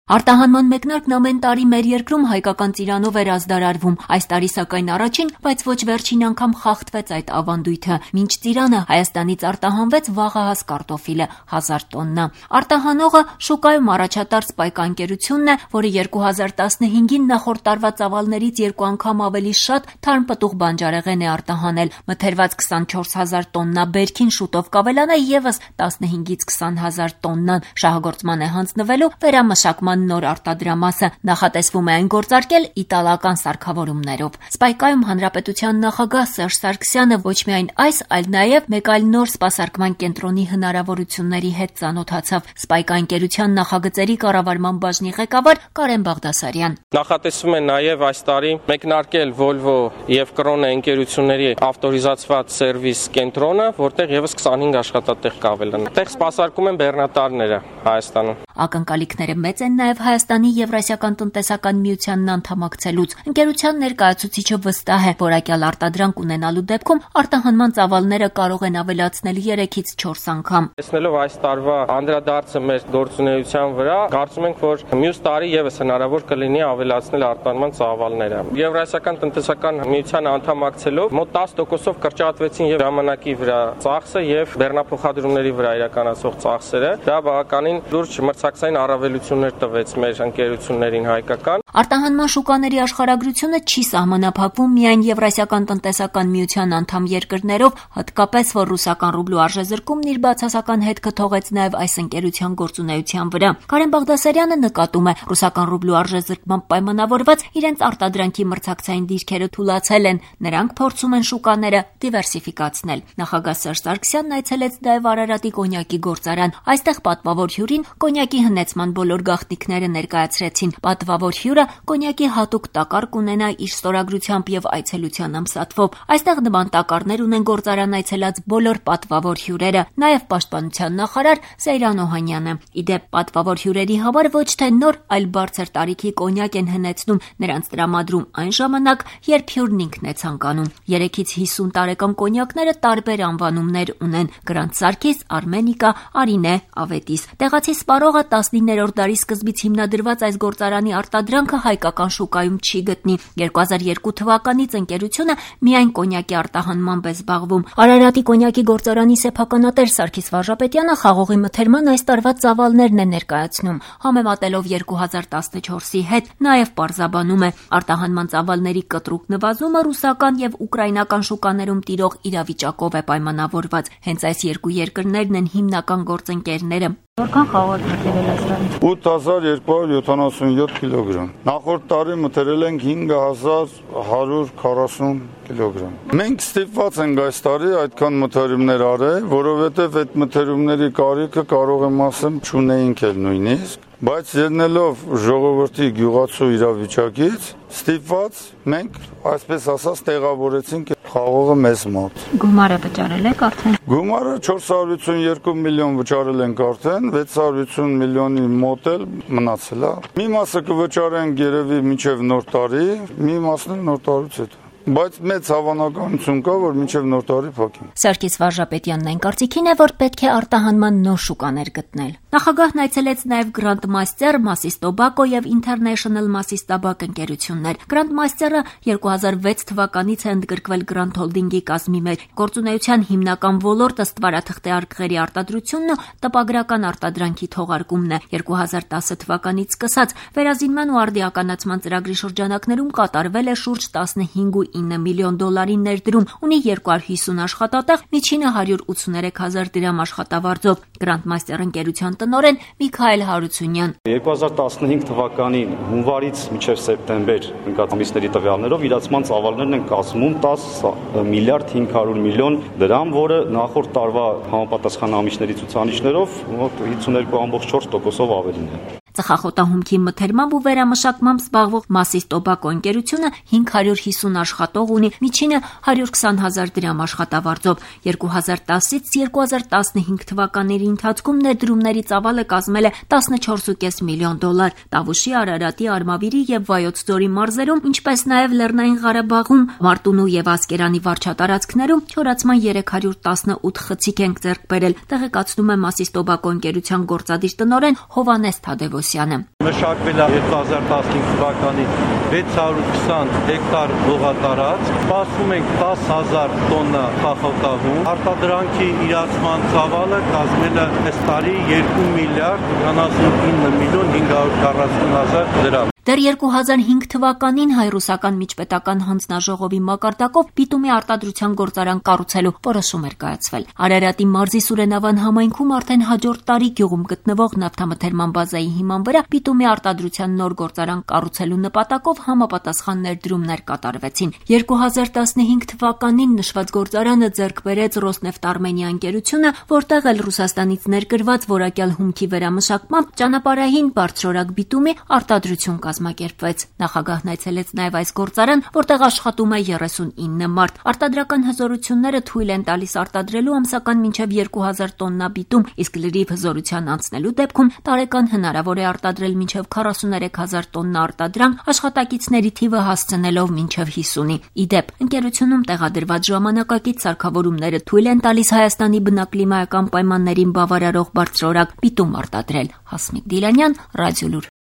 Արտահանման մեկնարկն ամեն տարի մեր երկրում հայկական ծիրանով էր ազդարարվում, այս տարի սակայն առաջին, բայց ոչ վերջին անգամ խախտվեց այդ ավանդույթը, մինչ ծիրանը Հայաստանից արտահանվեց վաղահաս կարտոֆիլը 1000 տոննա։ Արտահանողը շուկայում առաջատար Սպայկա ընկերությունն է, որը 2015-ին նախորդ տարվա ծավալներից 2 անգամ ավելի շատ թարմ պտուղ բանջարեղեն է արտահանել, մթերված 24000 տոննա բերքին շուտով կավելանա եւս 15-ից 20000 տոննան, շահագործման է հանձնվելու վերամշակման նոր արտադրամասը, նախատեսվում է այն գործարկել իտալական սարքավորումներով։ Սպայկայում հանրապետության նախագահ Սերժ Սարգսյանը ոչ միայն այս, այլ նաև մեկ այլ նոր սպասարկման կենտրոնի հնարավորությունների հետ ծանոթացավ։ Սպայկա ընկերության նախագծերի կառավարման բաժնի ղեկավար Կարեն Բաղդասարյան։ Նախատեսվում է նաև այս տարի մեկնարկել Volvo եւ Krone ընկերությունների ավտորիզացված սերվիս կենտրոնը, որտեղ եւս 25 աշխատատեղ կավելան։ Այդտեղ սպասարկում են բեռնատարները Հայաստանում։ Ակնկալիքները մեծ են նաև Հայաստանի Եվրասիական տնտեսական միությանն անդամակցելուց։ Ընկերության ներկայացուցիչը վստահ է, որակյալ արտադրանք ունենալու դեպքում արտահանման ծավալները կարող են ավելացնել 3-ից 4 անգամ։ Տեսնելով այս տարվա անդրադարձը մեր գործունեության վրա, կարծում ենք, որ մյուս տարի եւս հնարավոր կլինի ավելացնել արտահանման ծավալները։ Եվրասիական տնտեսական միությանը անդամակցելով մոտ 10%-ով կրճատվեցին եւ ժամանակի վրա ծախսը եւ բեռնափոխադրումների վրա իրականացող ծախսերը։ Դա բավականին լուրջ մրցակցային առավելություններ տվեց մեր ընկերություններին հայկական։ Արտահանման շուկաների աշխարհագրությունը չի սահմանափակվում միայն Եվրասիական տնտեսական միության անդամ երկրներով, հատկապես որ ռուսական ռուբլու արժեզրկումն իր բացասական հետքը թողեց նաև այս ընկերության գործունեության վրա։ Կարեն Բաղդասարյանը նկատում է, ռուսական ռուբլու արժեզրկման պայմանավորված իրենց արտադրանքի մրցակցային դիրքերը թուլացել են, նրանք փորձում են շուկաները դիվերսիֆիկացնել։ Նախագահ Սերժ Սարգսյանն այցելեց նաև Արարատի կոնյակի գործարան։ Այստեղ պատվավոր հյուրին կոնյակի հնեցման բոլոր գաղտնիքները ներկայացրեցին։ Պատվավոր հյուրը կոնյակի հատուկ տակար կունենա իր ստորագրությամբ եւ այցելության ամսաթվով։ Այստեղ նման տակարներ ունեն գործարան այցելած բոլոր պատվավոր հյուրերը, նաեւ պաշտպանության նախարար Սեյրան Օհանյանը։ Իդեպ պատվավոր հյուրերի համար ոչ թե նոր, այլ բարձր տարիքի կոնյակ են հնեցնում, նրանց տրամադրում այն ժամանակ, երբ հյուրն ինքն է ցանկանում։ 3-ից 50 տարեկան կոնյակները տարբեր անվանումներ ունեն՝ Գրանդ Սարգիս, Արմենիկա, Արինե, Ավետիս։ Տեղացի սպառողը 19-րդ դարի սկզբից հիմնադրված այս գործարանի արտադրանքը հայկական շուկայում չի գտնի։ 2002 թվականից ընկերությունը միայն կոնյակի արտահանմամբ է զբաղվում։ Արարատի կոնյակի գործարանի սեփականատեր Սարգիս Վարժապետյանը խաղողի մթերման այս տարվա ծավալներն է ներկայացնում, համեմատելով 2014-ի հետ, նաև պարզաբանում է արտահանման ծավալների կտրուկ նվազումը ռուսական եւ ուկրաինական շուկաներում տիրող իրավիճակով է պայմանավորված։ Հենց այս երկու երկրներն են հիմնական գործընկերները։ Որքան խաղող մթերել այս տարի։ 8277 կիլոգրամ։ Նախորդ տարի մթերել ենք 5140 կիլոգրամ։ Մենք ստիպված ենք այս տարի այդքան մթերումներ արել, որովհետև այդ մթերումների կարիքը կարող եմ ասեմ չունեինք էլ նույնիսկ, բայց ելնելով ժողովրդի գյուղացու իրավիճակից, ստիպված մենք այսպես ասած տեղավորեցինք խաղողը մեզ մոտ։ Գումարը վճարել եք արդեն։ Գումարը 452 միլիոն վճարել ենք արդեն, 650 միլիոնի մոտ էլ մնացել է։ Մի մասը կվճարենք երևի մինչև նոր տարի, մի մասն էլ նոր տարուց հետո։ Բայց մեծ հավանականություն կա, որ մինչև նոր տարի փակենք։ Սարգիս Վարժապետյանն այն կարծիքին է, որ պետք է արտահանման նոր շուկաներ գտնել։ Նախագահն այցելեց նաև Grandmaster, Massis Tobacco եւ International Massis Tobacco ընկերություններ։ Grandmaster-ը 2006 թվականից է ընդգրկվել Grand Holding-ի կազմի մեջ։ Գործունեության հիմնական ոլորտը ստվարաթղթե արկղերի արտադրությունն ու տպագրական արտադրանքի թողարկումն է։ 2010 թվականից սկսած վերազինման ու արդիականացման ծրագրի շրջանակներում կատարվել է շուրջ 15.9 միլիոն դոլարի ներդրում, ունի 250 աշխատատեղ, միջինը 183,000 դրամ աշխատավարձով։ Grandmaster ընկերության տնօրեն Միքայել Հարությունյան 2015 թվականի հունվարից մինչև սեպտեմբեր ընկած ամիսների տվյալներով իրացման ծավալներն են կազմում 10 միլիարդ 500 միլիոն դրամ, որը նախորդ տարվա համապատասխան ամիսների ցուցանիշներով մոտ 52.4%-ով ավելին է։ Ծխախոտահումքի մթերմամբ ու վերամշակմամբ զբաղվող Massis Tobacco ընկերությունը 550 աշխատող ունի, միջինը 120,000 դրամ աշխատավարձով։ 2010-ից 2015 թվականների ընթացքում ներդրումների ծավալը կազմել է 14.5 միլիոն դոլար։ Տավուշի, Արարատի, Արմավիրի եւ Վայոց ձորի մարզերում, ինչպես նաեւ Լեռնային Ղարաբաղում, Մարտունու եւ Ասկերանի վարչատարածքներում չորացման 318 խցիկ են ձեռք բերել, տեղեկացնում է Massis Tobacco ընկերության գործադիր տնօրեն Հովհաննես Թադևոսյանը։ Պետրոսյանը։ Մշակվել է 2015 թվականին 620 հեկտար հողատարած, սպասում ենք 10,000 տոննա խախոտահում, արտադրանքի իրացման ծավալը կազմել է այս տարի 2 միլիարդ 99 միլիոն 540 հազար դրամ։ Դեռ 2005 թվականին հայ-ռուսական միջպետական հանձնաժողովի մակարդակով պիտումի արտադրության գործարան կառուցելու որոշում էր կայացվել։ Արարատի մարզի Սուրենավան համայնքում արդեն հաջորդ տարի գյուղում գտնվող նավթամթերման բազայի հիման վրա պիտումի արտադրության նոր գործարան կառուցելու նպատակով համապատասխան ներդրումներ կատարվեցին։ 2015 թվականին նշված գործարանը ձեռք բերեց Ռոսնեֆտ Արմենիա ընկերությունը, որտեղ էլ Ռուսաստանից ներկրված որակյալ հումքի վերամշակմամբ ճանապարհային բարձրորակ բիտումի արտադրություն կազմակերպվեց։ Նախագահն այցելեց նաև այս գործարան, որտեղ աշխատում է 39 մարդ։ Արտադրական հզորությունները թույլ են տալիս արտադրելու ամսական մինչև 2000 տոննա բիտում, իսկ լրիվ հզորության անցնելու դեպքում տարեկան հնարավոր է արտադրել մինչև 43000 տոննա արտադրանք, աշխատակիցների թիվը հասցնելով մինչև 50-ի։ Իդեպ, ընկերությունում տեղադրված ժամանակակից սարքավորումները թույլ են տալիս Հայաստանի բնակլիմայական պայմաններին բավարարող բարձրորակ բիտում արտադրել։ Հասմիկ Դիլանյան, Ռադիոլուր։